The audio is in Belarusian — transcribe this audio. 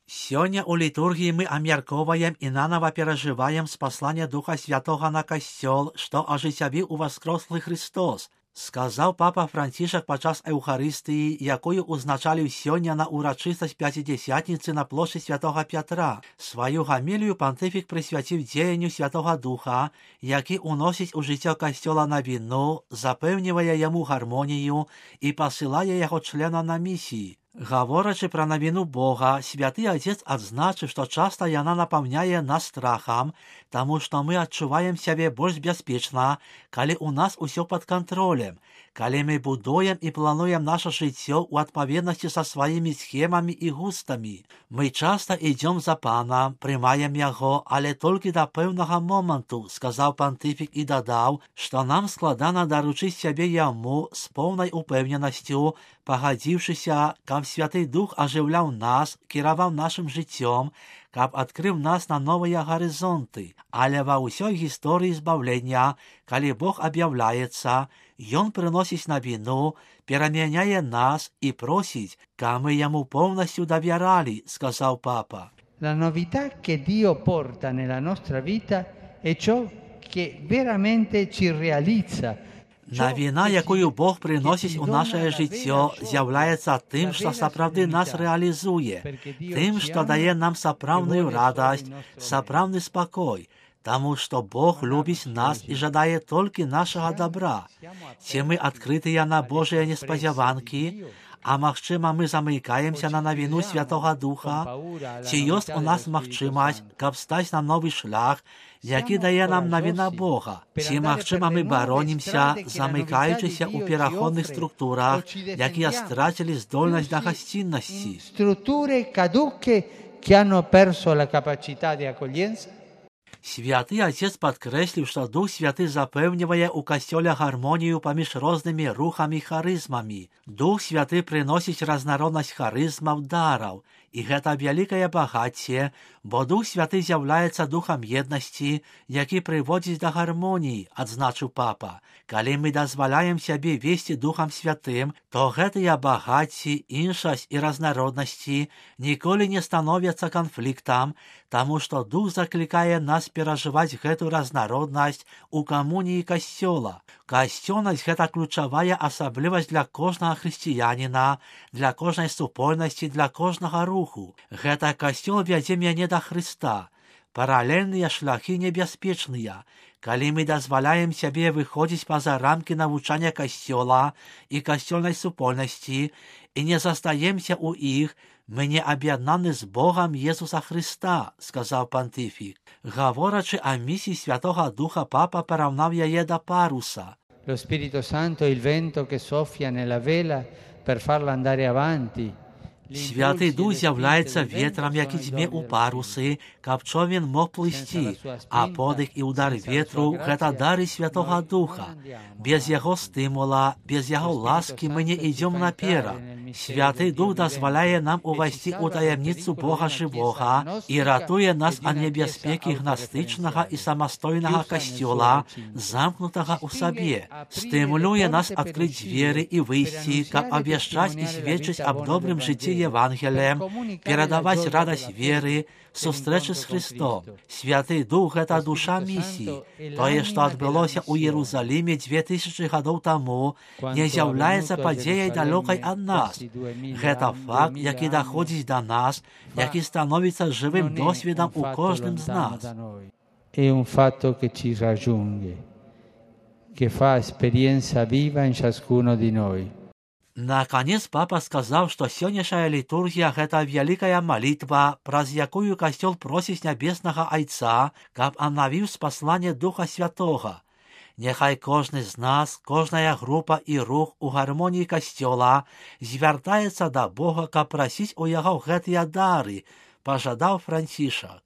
Сёння у літургіі мы абмяркоўваем і нанова перажываем спасланне Духа Святога на Касцёл, што ажыццявіў уваскрослы Христос, сказаў папа Францішак падчас Еўхарыстыі, якую узначаліў сёння на урачыстасць Пяцідзясятніцы на плошчы Святога Пятра. Сваю гамілію пантыфік прысвяціў дзеянню Святога Духа, які ўносіць у жыццё Касцёла навіну, запэўнівае яму гармонію і пасылае яго членам на місіі. Гаворачы пра навіну Бога, святы Адзец адзначыў, што часта яна напаўняе нас страхам, таму што мы адчуваем сябе больш бяспечна, калі ў нас усё пад кантролем, калі мы будуем і плануем наша жыццё ў адпаведнасці са сваімі схемамі і густамі. Мы часта ідзём за Панам, прымаем яго, але толькі да пэўнага моманту, сказаў пантыфік і дадаў, што нам складана даручыць сябе яму з поўнай упэўненасцю, пагадзіўшыся, каб Святы Дух ажыўляў нас, кіраваў нашым жыццём, каб адкрыў нас на новыя гарызонты. Але ва ўсёй гісторыі збаўлення, калі Бог аб'яўляецца, Ён прыносіць навіну, перамяняе нас і просіць, каб мы яму поўнасцю давяралі, сказаў папа. La novità che Dio porta nella nostra vita è ciò che veramente ci realizza. Навіна, якую Бог прыносіць у нашае жыццё, з'яўляецца тым, што сапраўды нас рэалізуе, тым, што дае нам сапраўдную радасць, сапраўдны спакой, таму што Бог любіць нас і жадае толькі нашага добра. Ці мы адкрытыя на Божыя неспадзяванкі, а магчыма, мы замыкаемся на навіну Святога Духа? Ці ёсць у нас магчымасць, каб стаць на новы шлях, які дае нам навіна Бога? Ці магчыма, мы баронімся, замыкаючыся ў пераходных структурах, якія страцілі здольнасць да гасціннасці? Структуры caduche che hanno perso la capacità di accoglienza? Святы Адзец падкрэсліў, што Дух Святы запэўнівае ў Касцёле гармонію паміж рознымі рухамі і харызмамі. Дух Святы прыносіць разнароднасць харызмаў, дараў. І гэта вялікае багацце, бо Дух Святы з'яўляецца духам еднасці, які прыводзіць да гармоніі, адзначыў папа. Калі мы дазваляем сябе весці Духам Святым, то гэтыя багацці, іншасць і разнароднасці ніколі не становяцца канфліктам, таму што Дух заклікае нас перажываць гэту разнароднасць у камуніі Касцёла. Касцёльнасць – гэта ключавая асаблівасць для кожнага хрысціяніна, для кожнай супольнасці, для кожнага руху. Гэта Касцёл вядзе мяне да Хрыста. Паралельныя шляхі небяспечныя. Калі мы дазваляем сябе выходзіць па-за рамкі навучання Касцёла і касцёльнай супольнасці і не застаемся ў іх, мы не аб'яднаны з Богам Jesúsa Христа, сказаў пантыфік. Гаворачы о місіі Святого Духа, папа параўнаў яе да паруса. Lo Spirito Santo è il vento che soffia nella vela per farla andare avanti. Святы Дух з'яўляецца ветрам, які дзьме ў парусы, каб човен мог плысці, а подых і удар ветру – гэта дары Святога Духа. Без яго стымула, без яго ласкі мы не ідзём наперад. Святы Дух дазваляе нам увайсці ў таямніцу Бога жывога і ратуе нас ад небяспекі гнастычнага і самастойнага касцёла, замкнутага ў сабе. Стымулюе нас адкрыць дзверы і выйсці, каб абвяшчаць і сведчыць аб добрым жыцці Евангелием, перадаваць радасць веры, сустрэчы з Христом. Святы Дух – гэта душа місіі. Тое, што адбылося ў Іерусаліме 2000 гадоў таму, не з'яўляецца падзеяй далёкай ад нас. Гэта факт, які даходзіць да нас, які становіцца жывым досведам у кожным з нас. È un fatto che ci raggiunge, che fa esperienza viva in ciascuno di noi. Наконец, папа сказаў, што сённяшняя літургія – гэта вялікая малітва, праз якую Касцёл просіць нябеснага Айца, каб абнавіў спасланне Духа Святога. Няхай кожны з нас, кожная група і рух у гармоніі Касцёла звяртаецца да Бога, каб прасіць у яго гэтыя дары, пажадаў Францішак.